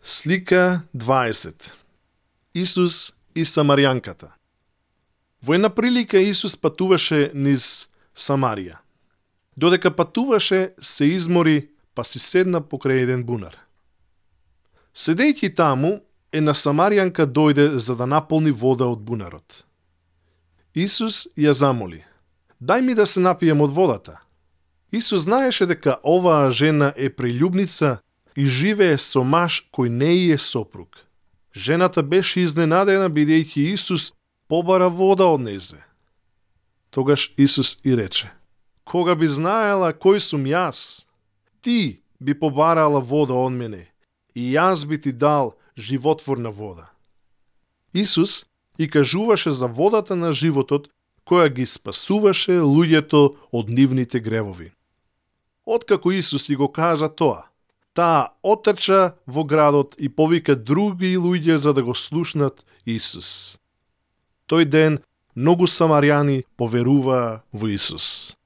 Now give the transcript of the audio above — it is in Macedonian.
Слика 20. Исус и Самаријанката. Во една прилика Исус патуваше низ Самарија. Додека патуваше, се измори, па си седна покрај еден бунар. Седејќи таму, една Самаријанка дојде за да наполни вода од бунарот. Исус ја замоли: "Дај ми да се напијам од водата." Исус знаеше дека оваа жена е прелюбница и живее со маж кој не е сопруг. Жената беше изненадена бидејќи Исус побара вода од незе. Тогаш Исус и рече: "Кога би знаела кој сум јас, ти би побарала вода од мене и јас би ти дал животворна вода." Исус и кажуваше за водата на животот која ги спасуваше луѓето од нивните гревови. Откако Исус и го кажа тоа, таа отрча во градот и повика други луѓе за да го слушнат Исус. Тој ден многу самарјани поверуваа во Исус.